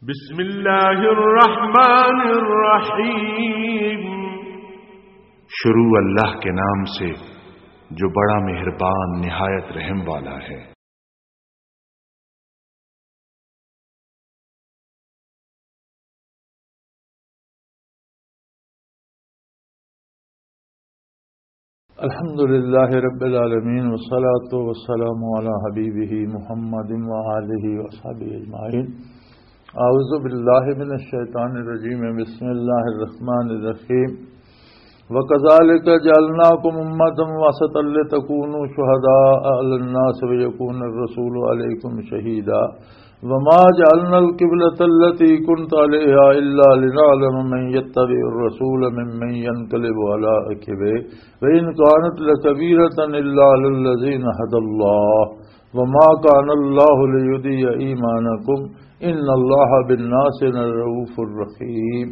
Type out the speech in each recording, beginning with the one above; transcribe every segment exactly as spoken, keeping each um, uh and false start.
بسم اللہ الرحمن الرحیم۔ شروع اللہ کے نام سے جو بڑا مہربان نہایت رحم والا ہے۔ الحمد لله رب العالمين، والصلاة والسلام على حبيبه محمد وآله وصحبه أجمعين. أعوذ بالله من الشيطان الرجيم. بسم الله الرحمن الرحيم. وكذلك جعلناكم أمة وسطا لتكونوا شهداء على الناس ويكون الرسول عليكم شهيدا. وما جعلنا القبلة التي كنت عليها إلا لنعلم من يتبع الرسول ممن ينقلب على عقبيه وإن كانت لكبيرة إلا على الذين هدى الله وما كان الله ليضيع إيمانكم إن الله بالناس لرءوف رحيم.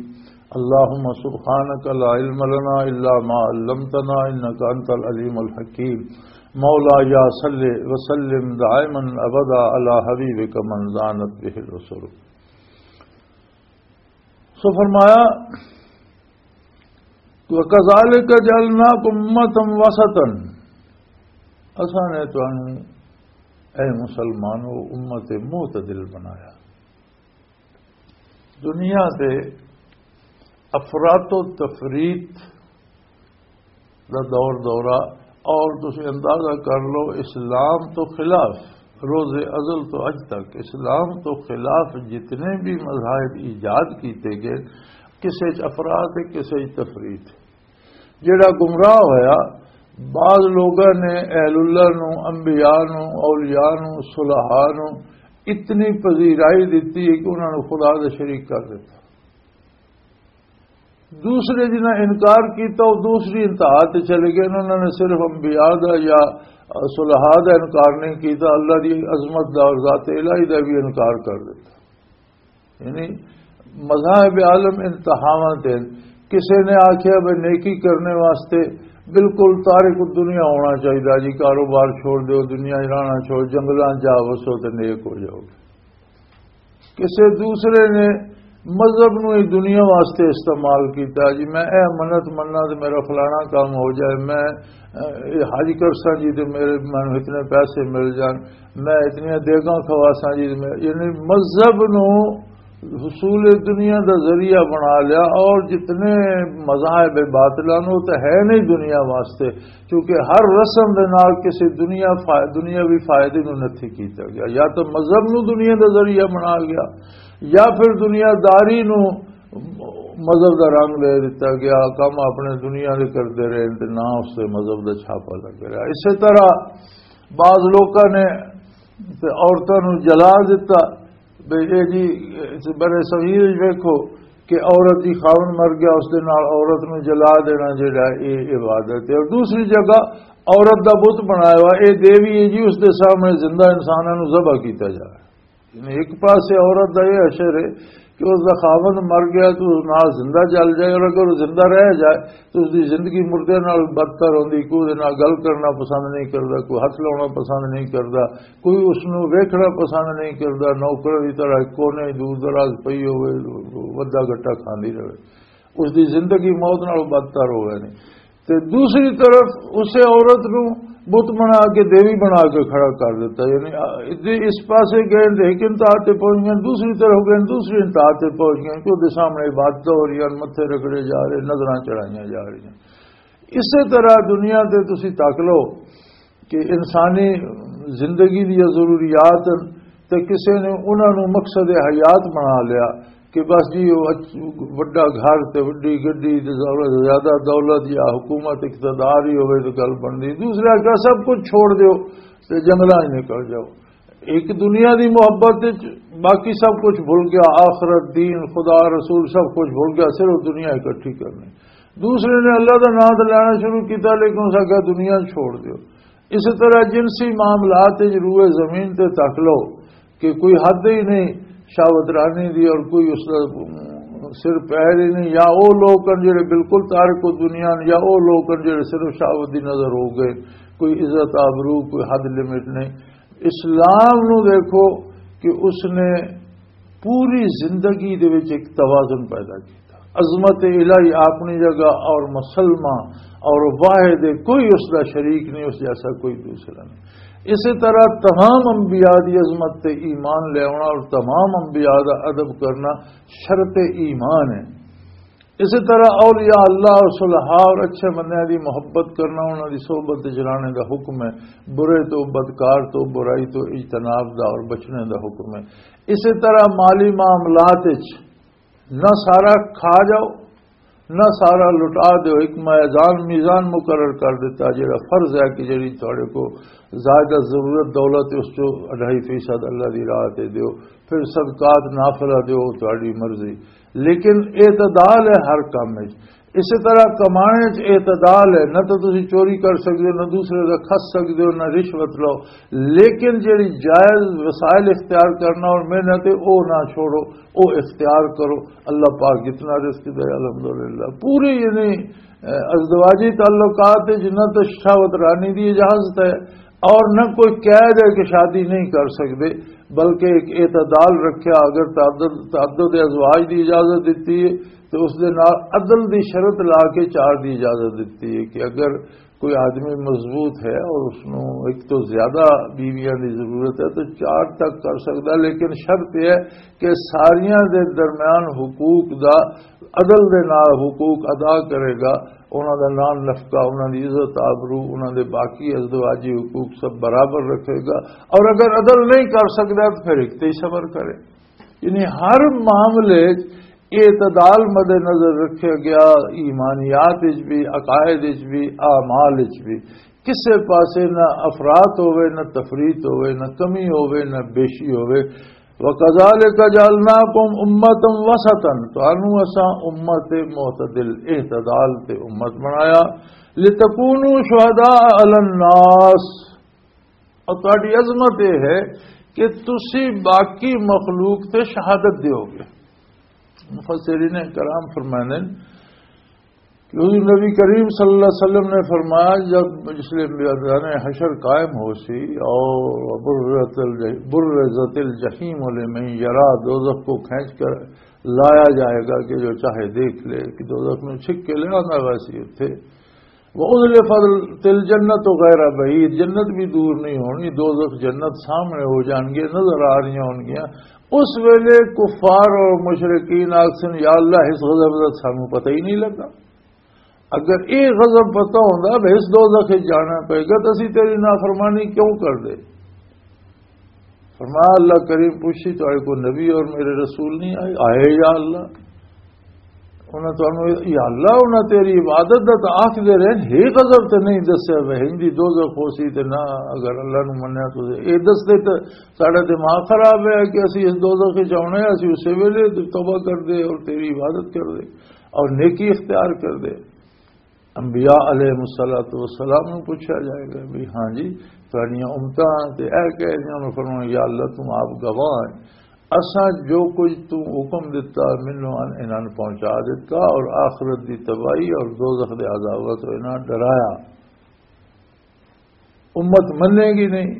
اللهم سبحانك لا علم لنا إلا ما علمتنا إنك أنت العليم الحكيم. مولاي صل وسلم دائما أبدا على حبيبك من زانت به الرسل. سو فرمایا، وَكَذَلِكَ جَعَلْنَاكُمْ أُمَّةً وَسَطًا، اساں نے تانوں، اے مسلمانو، امت معتدل بنایا۔ دنیا تے افراط و تفریط دا دور دورہ، اور تسی اندازہ کر لو، اسلام تو خلاف، روز ازل تو اج تک اسلام تو خلاف جتنے بھی مذاہب ایجاد کیتے گئے، کسے چ افراط ہے، کسے چ تفریط ہے۔ جڑا گمراہ ہویا، بعض لوگاں نے اہل اللہ نو، انبیاء نو، اولیاء نو، صلحاء نو اتنی پذیرائی دتی ہے کہ انہاں نو خدا دے شریک کر دتا۔ دوسرے جنہاں انکار کیتا، وہ دوسری انتہا تے چلے گئے۔ انہاں نے صرف انبیاء دا یا صلحاء دا انکار نہیں کیتا، اللہ دی عظمت دا اور ذات الہی دا بھی انکار کر دتا۔ یعنی مذاہب عالم انتہاواں تے۔ کسے نے آکھیا بھئی نیکی کرنے واسطے بالکل تارک الدنیا ہونا چاہیے جی، کاروبار چھوڑ دیو، دنیا ہی رہنا چھوڑ، جنگلاں جا وسو تے نیک ہو جاؤ گے۔ کسے دوسرے نے مذہب نو ہی دنیا واسطے استعمال کیتا جی، میں اے منت مننا تے میرا فلانا کام ہو جائے، میں، اے، حج کرساں جی تے میرے، مینوں اتنے پیسے مل جان، میں اتنیاں دیگاں کھواساں جی تے میں، یعنی مذہب نو حصول دنیا دا ذریعہ بنا لیا، اور جتنے مذاہب باطلہ نو تے ہے نہیں دنیا واسطے، کیونکہ ہر رسم دے نال کسی دنیا فا-، دنیاوی فائدے نو نتھی کیتا گیا۔ یا تو مذہب نو دنیا دا ذریعہ بنا گیا، یا پھر دنیا داری نو مذہب دا رنگ دے دتا گیا، کم اپنے دنیا دے کردے رہے تے نہ اس تے مذہب دا چھاپا لگ رہا۔ اسی طرح بعض لوکاں نے تے عورتاں نو جلا دتا۔ بے اے جی، اس بڑے صغیر وچ ویکھو کہ عورت دی خاوند مر گیا، اس دے نال عورت نو جلا دینا جڑا اے عبادت ہے۔ اور دوسری جگہ عورت دا بت بنایا ہوا، اے دیوی ہے جی، اس دے سامنے زندہ انساناں نو ذبح کیتا جا رہا ہے۔ یعنی ایک پاسے عورت دا یہ حشر ہے کہ اس دا خاوند مر گیا تو اس نال زندہ جل جائے، اور اگر وہ زندہ رہ جائے تو اس دی زندگی مردے نال بدتر ہوندی، کوئی اس دے نال گل کرنا پسند نہیں کردا، کوئی ہاتھ لاؤنا پسند نہیں کردا، کوئی اس نوں ویکھنا پسند نہیں کردا، نوکر دی طرح کونے دور دراز پئی ہوئے، ودا گٹا کھاندی رہے، اس دی زندگی موت نال بدتر ہوئے نے۔ تے دوسری طرف اسے عورت نوں بت بنا کے، دیوی بنا کے کھڑا کر دیتا۔ یعنی، آ، جے اس پاسے گئے تے ایک انتہا تے پہنچ گئے، دوسری طرف گئے، دوسری انتہا تے پہنچ گئے، کہ دے سامنے عبادت ہو رہی ہے، متھے رگڑے جا رہے، نظراں چڑھائیاں جا رہی ہیں۔ اسی طرح دنیا تے تسی تک لو کہ انسانی زندگی دی ضروریات تے کسے نے انہاں نوں مقصد حیات بنا لیا کہ بس جی، وہ اچ-، وڈا گھر تے وڈی گڈی تے زیادہ، زیادہ دولت یا حکومت اقتدار ہی ہوئے تو گل بندی۔ دوسرا کہا، سب کچھ چھوڑ دیو تے جنگلاں وچ نکل جاؤ۔ ایک دنیا دی محبت وچ باقی سب کچھ بھول گیا، آخرت، دین، خدا، رسول، سب کچھ بھول گیا، صرف دنیا اکٹھی کرنی۔ دوسرے نے اللہ دا نام تے لینا شروع کیتا، لیکن اس آکھیا، دنیا چھوڑ دیو۔ اسی طرح جنسی معاملات وچ روئے زمین تے تک لو کہ کوئی حد ہی نہیں شہوت رانی دی، اور کوئی اس دا سر پیر ہی نہیں۔ یا او لوگ ہن جڑے بالکل تارک و دنیا ہن، یا او لوگ ہن جڑے صرف شہوت دی نظر ہو گئے، کوئی عزت آبرو، کوئی حد لمٹ نہیں۔ اسلام نو دیکھو کہ اس نے پوری زندگی دے وچ ایک توازن پیدا کیتا۔ عظمت الہی اپنی جگہ اور مسلمہ اور واحد ہے، کوئی اس دا شریک نہیں، اس جیسا کوئی دوسرا نہیں۔ اسی طرح تمام انبیاء دی عظمت تے ایمان لے آنا اور تمام انبیاء دا ادب کرنا شرط ایمان ہے۔ اسی طرح اولیاء اللہ اور صلحاء اور اچھے بندیاں دی محبت کرنا، انہاں دی صحبت وچ رہنے دا حکم ہے۔ برے تو، بدکار تو، برائی تو اجتناب دا اور بچنے دا حکم ہے۔ اسی طرح مالی معاملات وچ نہ سارا کھا جاؤ، نہ سارا لٹا دیو۔ ایک میزان، میزان مقرر کر دیتا، جڑا فرض ہے کہ جڑی تھوڑے کو زیادہ ضرورت دولت ہے، اس چو اڑھائی فیصد اللہ دی راہ تے دیو، پھر صدقات نافلہ دیو، تھوڑی مرضی، لیکن اعتدال ہے ہر کام وچ۔ اسی طرح کمانے وچ اعتدال ہے، نہ تو تسی چوری کر سکدے ہو، نہ دوسرے دا کھس سکدے ہو، نہ رشوت لو، لیکن جڑی جائز وسائل اختیار کرنا اور محنت ہے، او نہ چھوڑو، او اختیار کرو۔ اللہ پاک جتنا رزق دے، الحمدللہ، پوری یعنی، اے، ازدواجی تعلقات وچ نہ تو شہوت رانی دی اجازت ہے اور نہ کوئی قید ہے کہ شادی نہیں کر سکدے، بلکہ ایک اعتدال رکھیا۔ اگر تعدد، تعدد ازواج دی اجازت دیتی ہے تو اس دے نال عدل دی شرط لا کے چار دی اجازت دیتی ہے کہ اگر کوئی آدمی مضبوط ہے اور اس نوں ایک تو زیادہ بیویاں دی ضرورت ہے تو چار تک کر سکدا، لیکن شرط یہ ہے کہ ساریاں دے درمیان حقوق دا، عدل دے نال حقوق ادا کرے گا، انہاں دا نان نفقہ، انہاں دی عزت آبرو، انہاں دے باقی ازدواجی حقوق سب برابر رکھے گا، اور اگر عدل نہیں کر سکدا تو پھر ایک تے ہی صبر کرے۔ یعنی ہر معاملے اعتدال مد نظر رکھا گیا، ایمانیات وچ بھی، عقائد وچ بھی، اعمال وچ بھی۔ کسے پاسے نہ افراط ہوئے، نہ تفریط ہوئے، نہ کمی ہوئے، نہ بیشی ہوئے۔ وَكَذَلِكَ جَعَلْنَاكُمْ أُمَّةً وَسَطًا، تانوں اساں امت معتدل، اعتدال تے امت بنایا۔ لِتَكُونُوا شُهَدَاءَ عَلَى النَّاسِ، اور تہاڈی عظمت یہ ہے کہ تسی باقی مخلوق تے شہادت دیو گے۔ مفسرین کرام فرماندے نے، کیونکہ نبی کریم صلی اللہ علیہ وسلم نے فرمایا، جب مجلس میدان حشر قائم ہو سی اور برزت الج-، برزت الجحیم لمن یرا، دوزخ کو کھینچ کر لایا جائے گا کہ جو چاہے دیکھ لے، کہ دوزخ میں چھک کے لے آنا ویسی اتھے۔ وَأُزْلِفَتِ الْجَنَّةُ غَيْرَ بَعِيدٍ، جنت بھی دور نہیں ہونی، دوزخ جنت سامنے ہو جان گے، نظر آ رہی ہون گیا۔ اس ویلے کفار اور مشرکین آکھسن، یا اللہ، اس غضب دا سانوں پتہ ہی نہیں لگا۔ اگر یہ غضب پتہ ہوندا، بھئی اس دوزخ وچ جانا پے گا، تو اسی تیری نافرمانی کیوں کر دے؟ فرمایا، اللہ کریم پوچھی، تہاڈے کو نبی اور میرے رسول نہیں آئے؟ آئے، یا اللہ۔ انہاں تانوں، یا اللہ، انہاں تیری عبادت دا تاں آکھدے رہے، ہی غضب تے نہیں دسیا، وہ ہندی دوزخ ہو سی تے نہ، اگر اللہ نو منیا تو اے دس دے تے ساڈا دماغ خراب ہے کہ اسی اس دوزخ وچ آونا ہے، اسی اسے ویلے توبہ کر دے اور تیری عبادت کر دے اور نیکی اختیار کر دے۔ انبیاء علیہ الصلوۃ والسلام نوں پوچھا جائے گا بھی، ہاں جی، تہاڈیاں امتاں تے اے کہہ رہیاں نے، فرمایا، یا اللہ، تم آپ گواہ ہیں، اساں جو کچھ تو حکم دتا، مینوں ان-، انہاں نوں پہنچا دتا، اور آخرت دی تباہی اور دوزخ دے عذاب تو انہاں ڈرایا۔ امت منے گی نہیں۔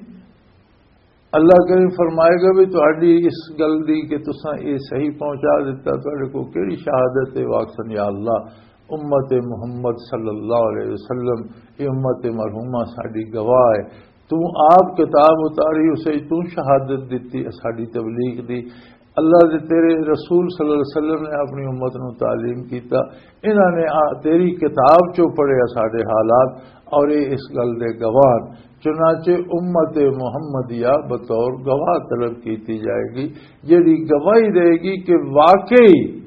اللہ کریم فرمائے گا بھی تہاڈی اس گل دی کہ تساں اے صحیح پہنچا دیتا، تہاڈے کو کیڑی شہادت ہے؟ واکسن، یا اللہ، امت محمد صلی اللہ علیہ وسلم، یہ امت مرحومہ ساڈی گواہ ہے۔ تو آپ کتاب اتاری، اسے تو شہادت دیتی ہے ساڈی تبلیغ دی۔ اللہ دے تیرے رسول صلی اللہ علیہ وسلم نے اپنی امت نو تعلیم کیتا، انہاں نے آ-، تیری کتاب چوں پڑھیا ساڈے حالات، اور یہ اس گل دے گواہ۔ چنانچہ امت محمدیہ بطور گواہ طلب کیتی جائے گی، جڑی گواہی دے گی کہ واقعی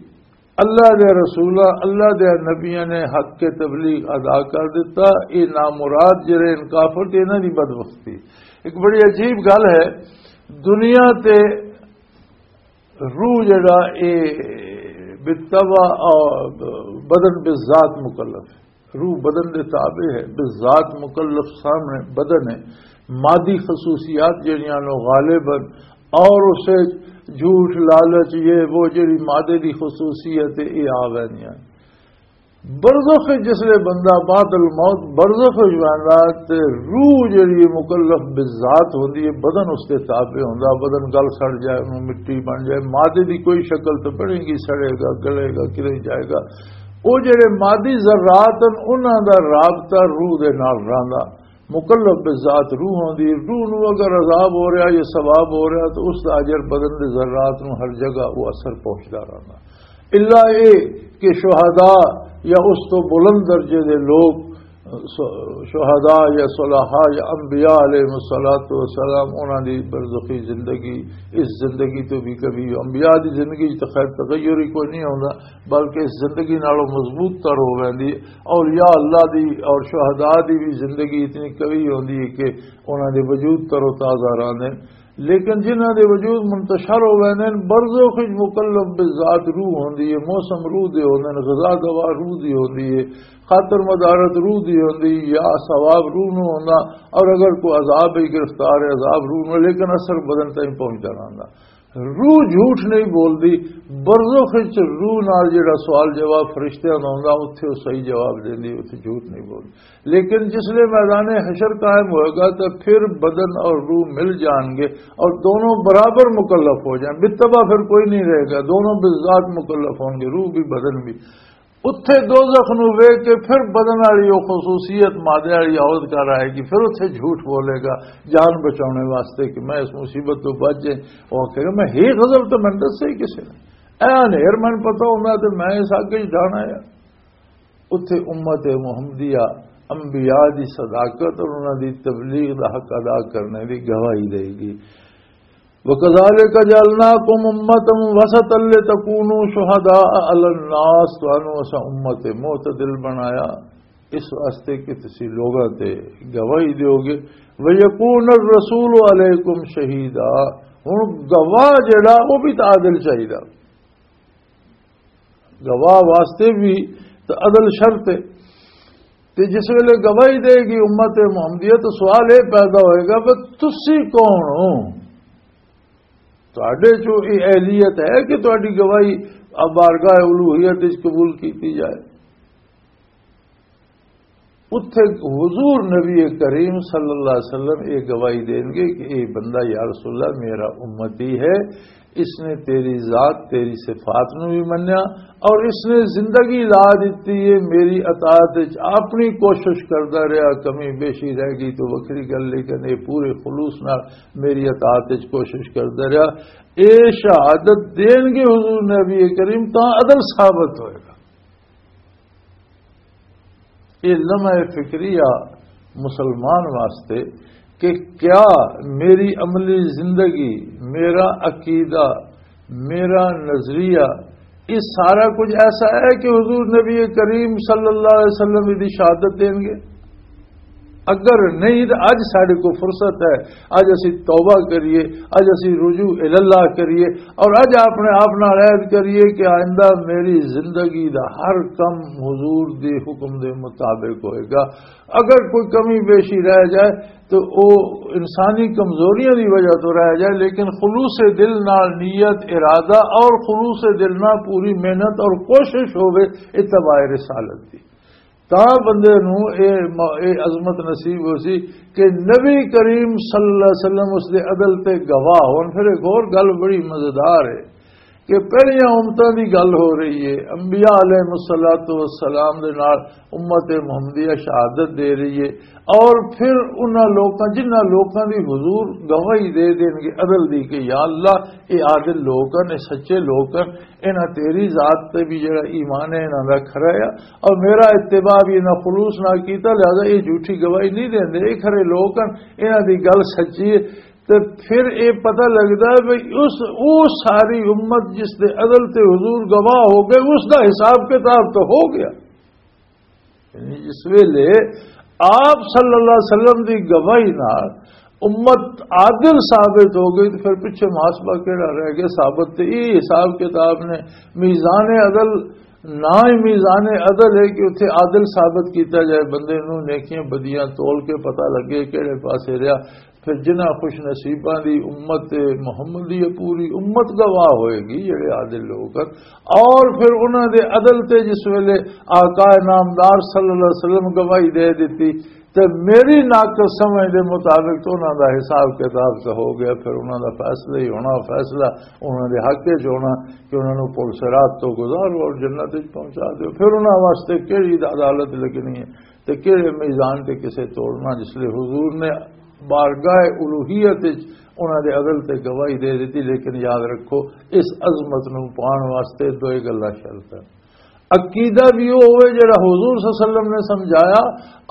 اللہ دے رسولاں، اللہ دے نبیاں نے حق کے تبلیغ ادا کر دیتا۔ یہ نامراد جڑے ان کافر تے، انہاں دی بدبختی۔ ایک بڑی عجیب گل ہے، دنیا تے روح جڑا اے بالطبع اور بدن بالذات مکلف ہے، روح بدن دے تابع ہے، بالذات مکلف سامنے بدن ہے، مادی خصوصیات جڑیاں نو غالباً اور اسے جھوٹ، لالچ، یہ وہ جڑی مادے دی خصوصیت ہے، یہ آ ویندیاں۔ برزخ وچ جس لے بندہ بعد الموت برزخ وچ ویندا، تے روح جڑی ہے مکلف بالذات ہوندی ہے، بدن اس دے تابع ہوندا، بدن گل سڑ جائے، انہوں مٹی بن جائے، مادے دی کوئی شکل تو بنے گی، سڑے گا، گلے گا، کرے جائے گا۔ او جڑے مادی ذرات ہیں، انہاں دا رابطہ روح دے نال رہندا۔ مکلف بالذات روح ہوندی ہے، روح نو اگر عذاب ہو رہا یا ثواب ہو رہا تو اس دا اجر بدن دے ذرات نو ہر جگہ وہ اثر پہنچدا رہندا۔ الا اے کہ شہداء یا اس تو بلند درجے دے لوگ، شہداء یا صلحاء یا انبیاء علیہ الصلوۃ والسلام، انہاں دی برزخی زندگی اس زندگی تو بھی کبھی، انبیاء دی زندگی تو خیر تغیر ہی کوئی نہیں ہوندا، بلکہ اس زندگی نالوں مضبوط تر ہو ویندی۔ اولیاء اللہ دی اور شہداء دی بھی زندگی اتنی قوی ہوندی ہے کہ انہاں دے وجود تر و تازہ رہندے۔ لیکن جنہاں دے وجود منتشر ہو ویندے نے، برزخ وچ مکلف بالذات روح ہوندی ہے، موسم روح دے ہوندے نے، غذا دوا روح دی ہوندی ہے، خاطر مدارت روح دی ہوندی یا ثواب روح نو ہوندا، اور اگر کوئی عذاب ہی گرفتار ہے، عذاب روح نو، لیکن اثر بدن تائیں پہنچدا رہندا۔ روح جھوٹ نہیں بولدی۔ برزخ وچ روح نال جڑا سوال جواب فرشتیاں دا ہوندا، اوتھے او صحیح جواب دیندی، اوتھے جھوٹ نہیں بولدی۔ لیکن جس لے میدان حشر قائم ہوئے گا تو پھر بدن اور روح مل جان گے اور دونوں برابر مکلف ہو جائیں، بالطبع پھر کوئی نہیں رہے گا، دونوں بالذات مکلف ہوں گے، روح بھی بدن بھی۔ اتھے دوزخ نو ویکھ کے پھر بدن والی او خصوصیت مادے والی عورت کر آئے گی، پھر اتھے جھوٹ بولے گا جان بچاؤنے واسطے کہ میں اس مصیبت تو بچ جائیں۔ وہ کہے گا، میں ہی غزل تو میں دسے ہی کسے نے، اے انہیر میں پتہ ہوندا تے میں اس اگ وچ ڈانا ہے۔ اتھے امت محمدیہ انبیاء دی صداقت اور انہاں دی تبلیغ دا حق ادا کرنے دی گواہی دے گی۔ وَكَذَلِكَ جَعَلْنَاكُمْ أُمَّةً وَسَطًا لِتَكُونُوا شُهَدَاءَ عَلَى النَّاسِ، تانوں اساں امت معتدل بنایا، اس واسطے کہ تسی لوگاں تے گواہی دیو گے۔ وَيَكُونَ الرَّسُولُ عَلَيْكُمْ شَهِيدًا، ہن گواہ جڑا وہ بھی تو عادل چاہیدا۔ گواہ واسطے بھی تو عدل شرط ہے۔ تے جس ویلے گواہی دے گی امت محمدیہ، تو سوال یہ پیدا ہوئے گا کہ تسی کون ہو؟ تہاڈے چوں یہ اہلیت ہے کہ تہاڈی گواہی اب بارگاہ الوہیت وچ قبول کیتی جائے؟ اتھے حضور نبی کریم صلی اللہ علیہ وسلم یہ گواہی دیں گے کہ یہ بندہ یا رسول اللہ میرا امتی ہے، اس نے تیری ذات، تیری صفات نو بھی منیا اور اس نے زندگی لا دیتی ہے میری اطاعت وچ، اپنی کوشش کردا رہیا، کمی بیشی رہ گئی تو وکھری گل، لیکن یہ پورے خلوص نال میری اطاعت وچ کوشش کردا رہیا۔ اے شہادت دین گے حضور نبی کریم، تاں عدل ثابت ہوئے گا۔ یہ لمحہ فکریہ مسلمان واسطے کہ کیا میری عملی زندگی، میرا عقیدہ، میرا نظریہ، یہ سارا کچھ ایسا ہے کہ حضور نبی کریم صلی اللہ علیہ وسلم دی شہادت دیں گے؟ اگر نہیں تو اج ساڈے کو فرصت ہے، اج اسی توبہ کریے، اج اسی رجوع الاللہ کریے اور اج اپنے آپ نال عہد کریے کہ آئندہ میری زندگی دا ہر کم حضور دے حکم دے مطابق ہوئے گا۔ اگر کوئی کمی بیشی رہ جائے تو او انسانی کمزوریاں دی وجہ تو رہ جائے، لیکن خلوص دل نال نیت، ارادہ اور خلوص دل نال پوری محنت اور کوشش ہوے اتباع رسالت دی، تاں بندے نوں اے م-، اے عظمت نصیب ہو سی کہ نبی کریم صلی اللہ علیہ وسلم اس دے عدل تے گواہ ہون۔ پھر ایک اور گل بڑی مزیدار ہے کہ پہلیاں امتاں دی گل ہو رہی ہے، انبیاء علیہ الصلوۃ والسلام دے نال امت محمدیہ شہادت دے رہی ہے، اور پھر انہاں لوکاں، جنہاں لوکاں دی حضور گواہی دے دین گے عدل دی کہ یا اللہ، اے عادل لوک ہن، اے سچے لوک ہن، انہاں تیری ذات تے بھی جڑا ایمان ہے، انہاں دا کھرا ہے، اور میرا اتباع بھی انہاں خلوص نال کیتا، لہذا اے جھوٹی گواہی نہیں دیندے، اے کھرے لوک ہن، انہاں دی گل سچی ہے۔ تے پھر اے پتہ لگدا ہے بھئی اس، او ساری امت جس دے عدل تے حضور گواہ ہو گئے، اس دا حساب کتاب تو ہو گیا۔ یعنی جس ویلے آپ صلی اللہ علیہ وسلم دی گواہی نال امت عادل ثابت ہو گئی، تو پھر پیچھے محاسبہ کیڑا رہ گیا؟ ثابت تے یہ حساب کتاب نے، میزان عدل نہ ہی میزان عدل ہے کہ اتھے عادل ثابت کیتا جائے، بندے نوں نیکیاں بدیاں تول کے پتہ لگے کہڑے پاسے رہیا۔ پھر جنہاں خوش نصیباں دی امت محمدی ہے، پوری امت گواہ ہوئے گی، جڑے عادل لوگ ہیں۔ اور پھر انہاں دے عدل تے جس ویلے آقا نامدار صلی اللہ علیہ وسلم گواہی دے دتی، تے میری ناقص سمجھ دے مطابق تو انہاں دا حساب کتاب تے ہو گیا۔ پھر انہاں دا فیصلہ ہی ہونا، فیصلہ انہاں دے حق وچ ہونا کہ انہاں نوں پل صراط تو گزارو اور جنت وچ پہنچا دیو۔ پھر انہاں واسطے کیڑی عدالت لگنی ہے تے کیڑے میزان تے کسے توڑنا؟ جس لئے حضور نے بارگاہ الوہیت وچ انہاں دے عدل تے گواہی دے دتی، لیکن یاد رکھو، اس عظمت نوں پان واسطے دوئے گلاں شرط ہیں۔ عقیدہ بھی وہ ہوئے جڑا حضور صلی اللہ علیہ وسلم نے سمجھایا،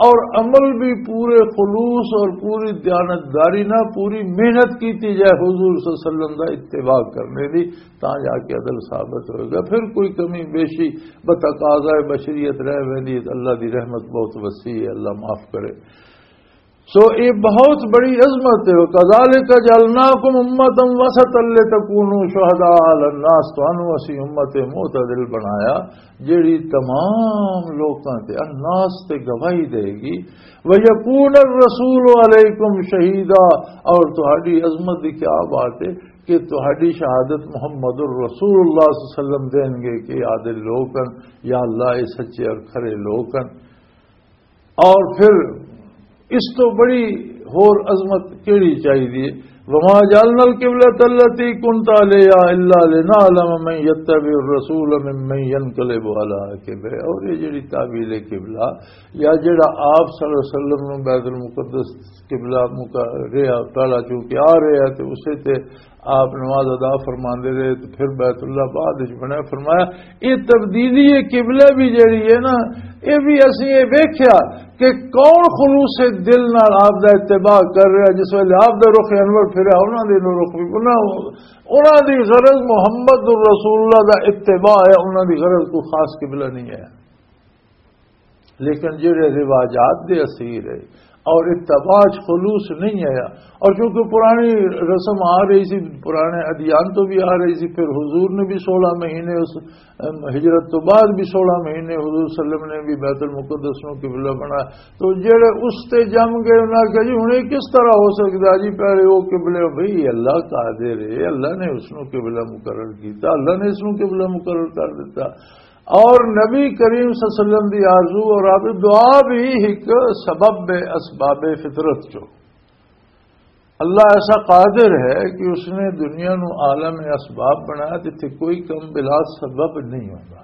اور عمل بھی پورے خلوص اور پوری دیانتداری نہ، پوری محنت کیتی جائے حضور صلی اللہ علیہ وسلم دا اتباع کرنے دی، تاں جا کے عدل ثابت ہوئے گا۔ پھر کوئی کمی بیشی بتقاضائے بشریت رہ ویندی ہے، اللہ دی رحمت بہت وسیع ہے، اللہ معاف کرے۔ سو یہ بہت بڑی عظمت ہے۔ وَكَذَلِكَ جَعَلْنَاكُمْ أُمَّةً وَسَطًا لِتَكُونُوا شُهَدَاءَ عَلَى النَّاسِ، تانوں اسی امت معتدل بنایا، جڑی تمام لوکاں تے، الناس تے گواہی دے گی۔ وَيَكُونَ الرَّسُولُ عَلَيْكُمْ شَهِيدًا، اور تہاڈی عظمت دی کیا بات ہے کہ تہاڈی شہادت محمد الرسول اللہ صلی اللہ علیہ وسلم دین گے کہ عادل لوگ ہیں، یا اللہ، یہ سچے اور کھرے لوگ ہیں۔ اور پھر اس تو بڑی ہور عظمت کیڑی چاہیے؟ وما جعلنا القبلة التي كنت عليها إلا لنعلم من يتبع الرسول ممن ينقلب على عقبه۔ اور یہ جڑی تعبیر قبلہ یا جڑا آپ صلی اللہ علیہ وسلم نوں بیت المقدس قبلہ مقا-، رہا، پہلا چونکہ آ رہا تے اسے تے آپ نماز ادا فرماندے رہے، تے پھر بیت اللہ بعد وچ بنیا۔ فرمایا، یہ تبدیلی قبلہ بھی جڑی ہے نا، یہ بھی اسی یہ ویکھیا کہ کون خلوص دل نال آپ دا اتباع کر رہا۔ جس ویلے آپ دا رخ انور پھریا، انہاں دے رخ بھی، انہاں، انہاں دی غرض محمد الرسول اللہ دا اتباع ہے، انہاں دی غرض کوئی خاص قبلہ نہیں ہے۔ لیکن جڑے رواجات دے اسیر ہے اور اتباع چ خلوص نہیں آیا، اور چونکہ پرانی رسم آ رہی سی، پرانے ادیان تو بھی آ رہی سی، پھر حضور نے بھی سولہ مہینے اس، ام، ہجرت تو بعد بھی سولہ مہینے حضور صلی اللہ علیہ وسلم نے بھی بیت المقدس نو قبلہ بنا، تو جڑے اس تے جم گئے، انہاں کہا، "جی، ہن یہ کس طرح ہو سکدا جی؟ پہلے وہ قبلے۔" بھئی، اللہ قادر ہے، اللہ نے اس نو قبلہ مقرر کیتا، اللہ نے اس نو قبلہ مقرر کر دیتا۔ اور نبی کریم صلی اللہ علیہ وسلم دی آرزو اور آپ دعا بھی ایک سبب ہے اسباب فطرت چو۔ اللہ ایسا قادر ہے کہ اس نے دنیا نو عالم اسباب بنایا، جتھے کوئی کم بلا سبب نہیں ہوتا۔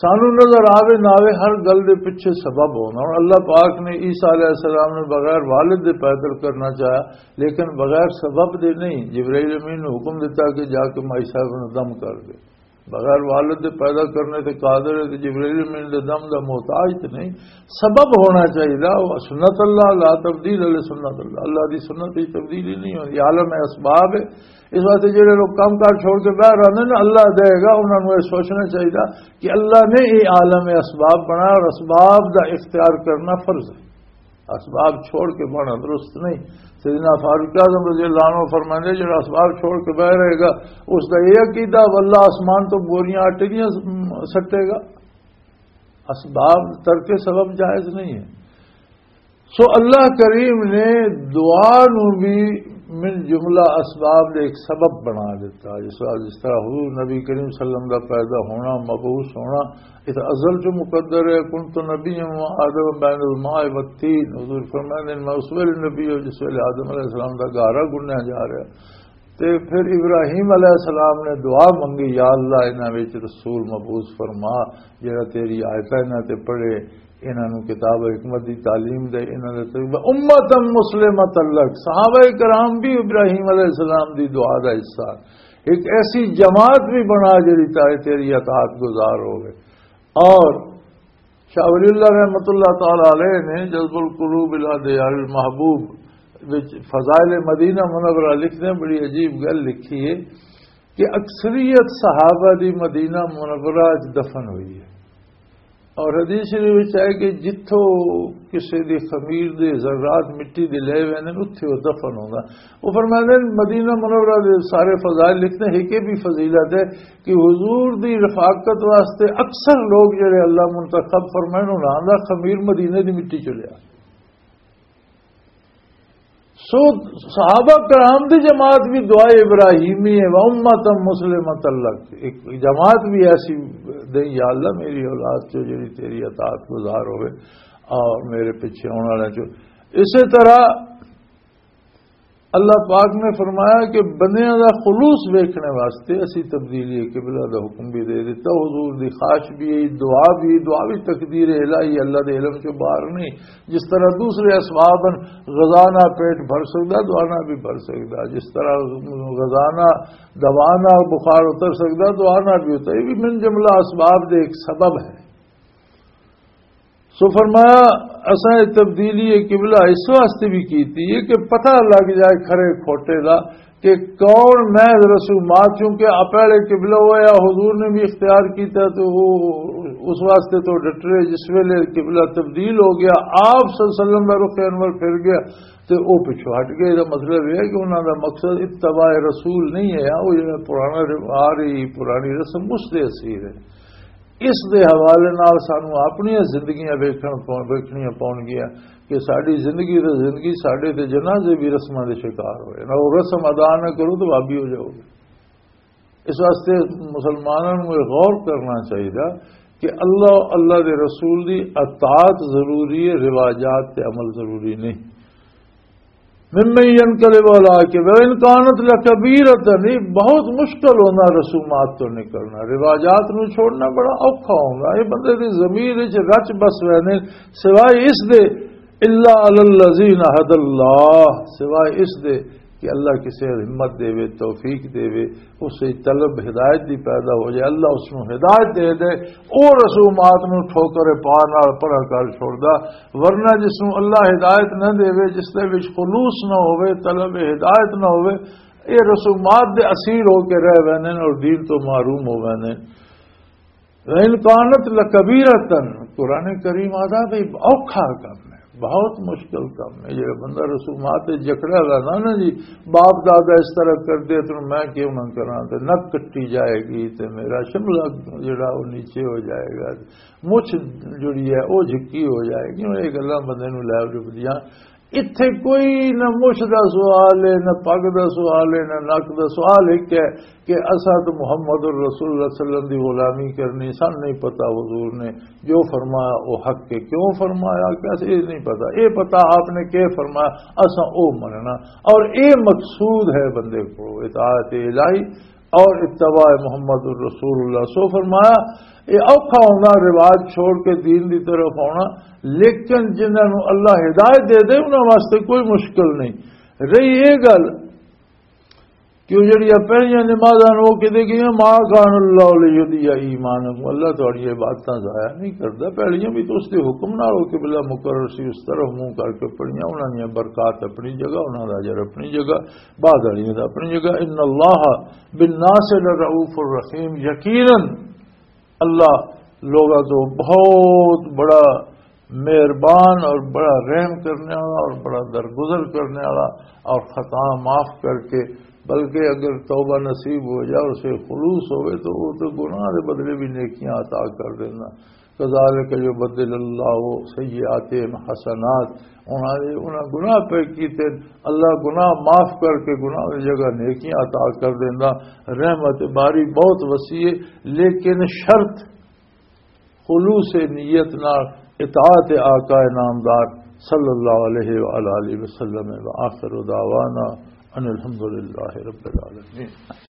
سانو نظر آوے نہ آوے، ہر گل دے پیچھے سبب ہونا۔ اور اللہ پاک نے عیسیٰ علیہ السلام نے بغیر والد دے پیدا کرنا چاہیا، لیکن بغیر سبب دے نہیں۔ جبرائیل امین نے حکم دیتا کہ جا کے مائی صاحب نو دم کر دے۔ بغیر والد دے پیدا کرنے تے قادر ہے، تے جبرائیل امین دے دم دا محتاج تے نہیں۔ سبب ہونا چاہیے، وہ سنت اللہ، لا تبدیل علی سنت اللہ، اللہ دی سنت وچ تبدیلی نہیں ہوندی، عالم اسباب ہے۔ اس واسطے جڑے لوگ کام کار چھوڑ کے باہر آندے نے، اللہ دے گا، انہاں نوں یہ سوچنا چاہیے کہ اللہ نے یہ عالم اسباب بنایا اور اسباب دا اختیار کرنا فرض ہے۔ اسباب چھوڑ کے بنا درست نہیں۔ سیدنا فاروق اعظم رضی اللہ عنہ فرماندے، جڑا اسباب چھوڑ کے بہ رہے گا، اس دا یہ عقیدہ، واللہ آسمان تو بوریاں آٹے دیاں سٹے گا۔ اسباب ترک سبب جائز نہیں ہے۔ سو اللہ کریم نے دعا نو بھی من جملہ اسباب دے ایک سبب بنا دیتا۔ جس طرح، جس طرح حضور نبی کریم صلی اللہ علیہ وسلم دا پیدا ہونا، مبعوث ہونا، اس ازل چ مقدر ہے۔ "کنت نبیا و آدم بین الماء والطین"، حضور فرماندے نے، "میں اس ویلے نبی ہوں جس ویلے آدم علیہ السلام دا گارا گنیا جا رہا۔" تے پھر ابراہیم علیہ السلام نے دعا منگی، "یا اللہ، انہاں وچ رسول مبعوث فرما، جڑا تیری آیتاں انہاں تے پڑھے، انہاں نوں کتاب حکمت دی تعلیم دے، انہاں دے طریقے امتا مسلمتا لک۔" صحابہ کرام بھی ابراہیم علیہ السلام دی دعا دا حصہ، ایک ایسی جماعت بھی بنا جڑی تائے تیری اطاعت گزار ہوے۔ اور شاہ ولی اللہ رحمۃ اللہ تعالی علیہ نے جذب القلوب الی دیار المحبوب وچ فضائل مدینہ منورہ لکھتے ہیں، بڑی عجیب گل لکھی ہے کہ اکثریت صحابہ دی مدینہ منورہ وچ دفن ہوئی ہے۔ اور حدیث شریف وچ ہے کہ جتھوں کسے دی خمیر دے ذرات مٹی دے لے ویندے نے، اتھے او دفن ہوندا۔ او فرماندے نے، مدینہ منورہ دے سارے فضائل لکھتے ہیں، ایک یہ بھی فضیلت ہے کہ حضور دی رفاقت واسطے اکثر لوگ جڑے اللہ منتخب فرمائے، انہاں دا خمیر مدینے دی مٹی چ لیا۔ سو صحابہ کرام دی جماعت بھی دعا ابراہیمی ہے، "و امتا مسلمتا لک"، ایک جماعت بھی ایسی دے، یا اللہ میری اولاد چو جڑی تیری اطاعت گزار ہوئے اور میرے پیچھے آنے والے چو۔ اسی طرح اللہ پاک نے فرمایا کہ بندیاں دا خلوص ویکھنے واسطے اسی تبدیلی قبلہ دا حکم بھی دے دیتا۔ حضور دی خواہش بھی ہے، دعا بھی، دعا بھی تقدیر الہی، اللہ دے علم چوں باہر نہیں۔ جس طرح دوسرے اسباب ہیں، غذا نہ پیٹ بھر سکدا، دعا نہ بھی بھر سکدا۔ جس طرح غذا نہ، دوا نہ بخار اتر سکدا، دعا نہ بھی اتر۔ یہ بھی من جملہ اسباب دے ایک سبب ہے۔ سو فرمایا، اساں یہ تبدیلی قبلہ اس واسطے بھی کیتی ہے کہ پتہ لگ جائے کھرے کھوٹے دا کہ کون محض رسومات، چونکہ آ پہلے قبلہ ہوا، حضور نے بھی اختیار کیتا، تو وہ اس واسطے تو ڈٹرے۔ جس ویلے قبلہ تبدیل ہو گیا، آپ صلی اللہ علیہ وسلم کا رخ انور پھر گیا، تو وہ پچھو ہٹ گئے۔ دا مطلب یہ ہے کہ انہاں دا مقصد اتباع رسول نہیں ہے، وہ جڑا پرانا رو-، آ رہی پرانی رسم، اس دے اسیر ہے۔ اس دے حوالے نال سانوں اپنیاں زندگیاں ویکھن پو-، ویکھنیاں پون گیاں کہ ساڈی زندگی تے زندگی، ساڈے تے جنازے بھی رسماں دے شکار ہوئے۔ نہ وہ رسم ادا نہ کرو تو بھابی ہو جاؤ گے۔ اس واسطے مسلماناں نوں یہ غور کرنا چاہیے کہ اللہ، اللہ دے رسول دی اطاعت ضروری ہے، رواجات تے عمل ضروری نہیں۔ ممن ينقلب على عقبيه وإن كانت لكبيرة، یہ بہت مشکل ہونا رسومات تو نکلنا، رواجات نو چھوڑنا بڑا اوکھا ہونا۔ یہ بندے دی ضمیر وچ رچ بس رہنے، سوائے اس دے، الا علی الذین هدى اللہ، سوائے اس دے کہ اللہ کسے ہمت دے وے، توفیق دے وے، اس سے طلب ہدایت دی پیدا ہو جائے، اللہ اس نو ہدایت دے دے، او رسومات نو ٹھوکر پا نال پرا کر چھوڑدا۔ ورنہ جس نو اللہ ہدایت نہ دے وے، جس دے وچ خلوص نہ ہوے، طلب ہدایت نہ ہوے، اے رسومات دے اسیر ہو کے رہ ویندے نے اور دین تو محروم ہو ویندے نے۔ وَإِنْ كَانَتْ لَكَبِيرَةً، قرآن کریم آتا بھی اوکھا کم ہے، بہت مشکل کم ہے۔ یہ بندہ رسومات تے جکڑا رہنا نا جی، باپ دادا اس طرح کر دے تو میں کیوں نہ کراں، تے نک کٹی جائے گی، تے میرا شملہ جڑا وہ نیچے ہو جائے گا، مچھ جڑی ہے وہ جھکی ہو جائے گی۔ یہ گلاں بندے نوں لے ڈبدیاں۔ اتھے کوئی نہ مچھ دا سوال ہے، نہ پگ دا سوال ہے، نہ نک دا سوال۔ ایک ہے کہ اساں تو محمد الرسول اللہ صلی اللہ علیہ وسلم دی غلامی کرنی، سن نہیں پتا حضور نے جو فرمایا وہ حق کے کیوں فرمایا، کیا اساں یہ نہیں پتا۔ یہ پتا آپ نے کیا فرمایا، اساں او مننا۔ اور اے مقصود ہے بندے کو، اطاعت الہی اور اتباع محمد الرسول اللہ۔ سو فرمایا، یہ اوکھا ہونا رواج چھوڑ کے دین دی طرف آنا، لیکن جنہاں نوں اللہ ہدایت دے دے، انہاں واسطے کوئی مشکل نہیں۔ رہی یہ گل کہ وہ جڑیاں پہلیاں نمازاں نوں وہ کہتے کہ "ما کان اللہ لیضیع ایمانکم"، اللہ تہاڈی عبادتاں ضائع نہیں کردا۔ پہلیاں بھی تو اس دے حکم نال وہ قبلہ مقرر سی، اس طرف منہ کر کے پڑھیاں، انہاں دیاں برکات اپنی جگہ، انہاں دا اجر اپنی جگہ، بعد والیاں دا اپنی جگہ۔ ان اللہ بالناس لرؤوف الرحیم، یقیناً اللہ لوگاں تو بہت بڑا مہربان اور بڑا رحم کرنے والا اور بڑا درگزر کرنے والا، اور خطا معاف کر کے، بلکہ اگر توبہ نصیب ہو جائے اور اسے خلوص ہوئے تو وہ تو گناہ دے بدلے بھی نیکیاں عطا کر دینا۔ کذالک یبدل اللہ سیئاتہم حسنات، انہاں دے، انہاں گناہ پہ کیتے، اللہ گناہ معاف کر کے گناہ دی جگہ نیکیاں عطا کر دیندا۔ رحمت باری بہت وسیع ہے، لیکن شرط خلوص نیت نال اطاعت آقا نامدار صلی اللہ علیہ وآلہ وسلم۔ وآخر دعوانا ان الحمدللہ رب العالمین۔